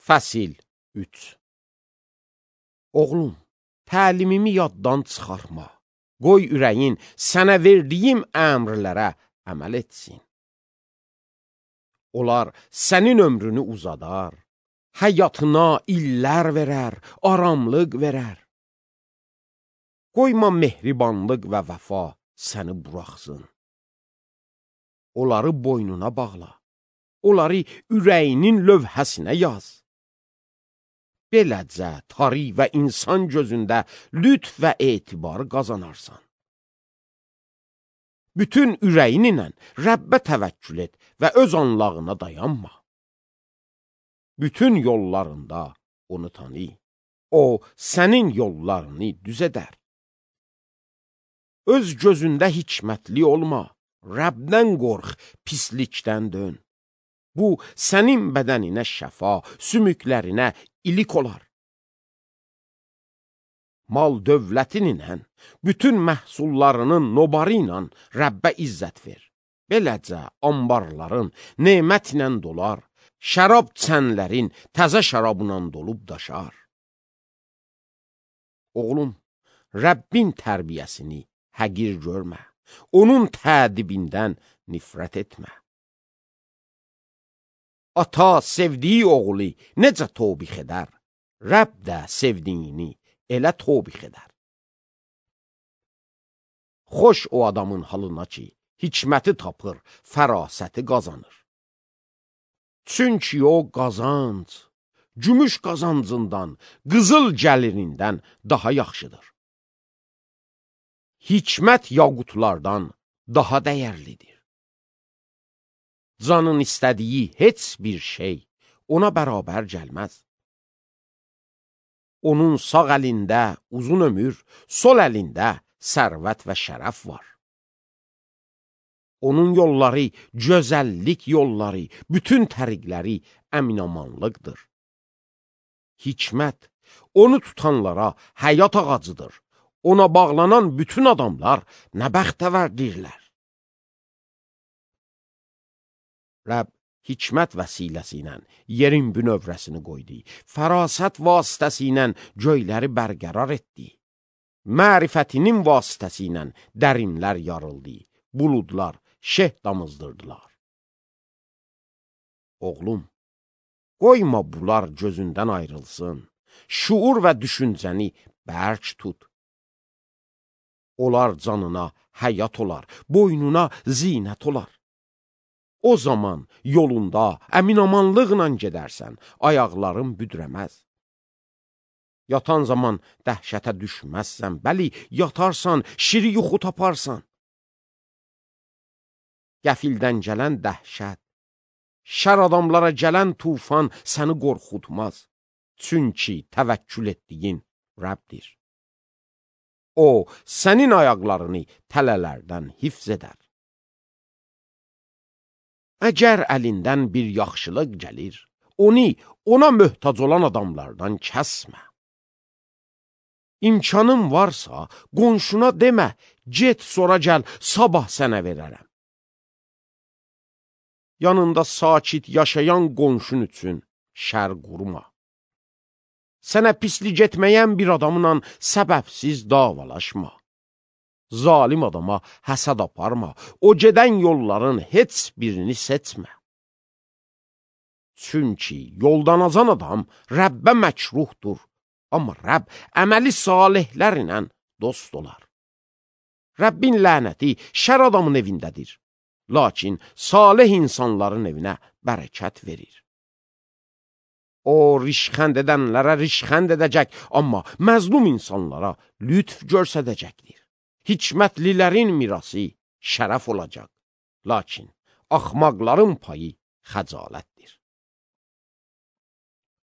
Fəsil 3. Oğlum, təlimimi yaddan çıxarma. Qoy ürəyin sənə verdiyim əmrlərə əməl etsin. Onlar sənin ömrünü uzadar, həyatına illər verər, aramlıq verər. Qoyma mehribanlıq və vəfa səni buraxsın. Onları boynuna bağla, onları ürəyinin lövhəsinə yaz. Beləcə tari və insan gözündə lütf və etibar qazanarsan. Bütün ürəyin ilə Rəbbə təvəkkül et və öz anlağına dayanma. Bütün yollarında onu tanı, o sənin yollarını düz edər. Öz gözündə hikmətli olma, Rəbdən qorx, pislikdən dön. Bu, sənin bədəninə şəfa, sümüklərinə ilik olar. Mal dövlətin ilə, bütün məhsullarının nobarı ilə Rəbbə izzət ver. Beləcə ambarların nemət ilə dolar, şərab çənlərin təzə şərabla dolub daşar. Oğlum, Rəbbin tərbiyəsini həqir görmə, onun tədibindən nifrət etmə. Ata sevdiyi oğlu necə tobix edər, Rəbb də sevdiyini elə tobix edər. Xoş o adamın halına ki, hikməti tapır, fərasəti qazanır. Çünki o qazanc, gümüş qazancından, qızıl gəlirindən daha yaxşıdır. Hikmət yaqutlardan daha dəyərlidir. Canın istədiyi heç bir şey ona bərabər gəlməz. Onun sağ əlində uzun ömür, sol əlində sərvət və şərəf var. Onun yolları, gözəllik yolları, bütün təriqləri əminamanlıqdır. Hikmət, onu tutanlara həyat ağacıdır. Ona bağlanan bütün adamlar nə bəxtəvərdirlər. Rəbb hikmət vəsiləsi ilə yerin bünövrəsini qoydu, fərasət vasitəsi ilə göyləri bərqərar etdi. Mərifətinin vasitəsi ilə dərinlər yarıldı, buludlar şeh damızdırdılar. Oğlum, qoyma bunlar gözündən ayrılsın, şuur və düşüncəni bərk tut. Onlar canına həyat olar, boynuna zinət olar. O zaman yolunda əminamanlıqla gedərsən, ayaqların büdrəməz. Yatan zaman dəhşətə düşməzsən, bəli, yatarsan, şiri yuxu taparsan. Qəfildən gələn dəhşət, şər adamlara gələn tufan səni qorxutmaz. Çünki təvəkkül etdiyin Rəbdir. O, sənin ayaqlarını tələlərdən hifz edər. Əgər əlindən bir yaxşılıq gəlir, onu ona möhtac olan adamlardan kəsmə. İmkanın varsa, qonşuna demə, get sonra gəl, sabah sənə verərəm. Yanında sakit yaşayan qonşun üçün şər qurma. Sənə pislik etməyən bir adamla səbəbsiz davalaşma. Zalim adama həsəd aparma, o gedən yolların heç birini seçmə. Çünki yoldan azan adam Rəbbə məkruhdur, amma Rəbb əməli salihlər ilə dost olar. Rəbbin lənəti şər adamın evindədir, lakin salih insanların evinə bərəkət verir. O, rişxənd edənlərə rişxənd edəcək, amma məzlum insanlara lütf görsədəcəkdir. Hikmətlilərin mirası şərəf olacaq, lakin axmaqların payı xəcalətdir.